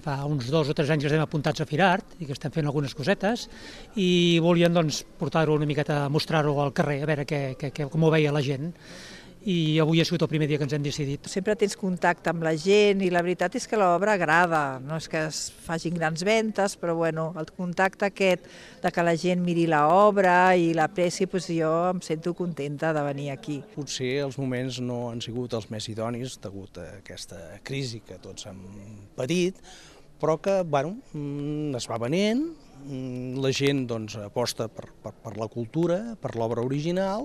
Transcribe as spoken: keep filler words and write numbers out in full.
fa uns dos o tres anys que estem apuntats a Firart i que estem fent algunes cosetes i volien doncs, portar-ho una miqueta, mostrar-ho al carrer, a veure què, què, què, com ho veia la gent. I avui ha sigut el primer dia que ens hem decidit. Sempre tens contacte amb la gent i la veritat és que l'obra agrada, no és que es facin grans ventes, però bueno, el contacte aquest de que la gent miri l'obra i l'apreci, doncs jo em sento contenta de venir aquí. Potser els moments no han sigut els més idonis degut a aquesta crisi que tots hem patit, però que bueno, es va venent, la gent doncs, aposta per, per, per la cultura, per l'obra original,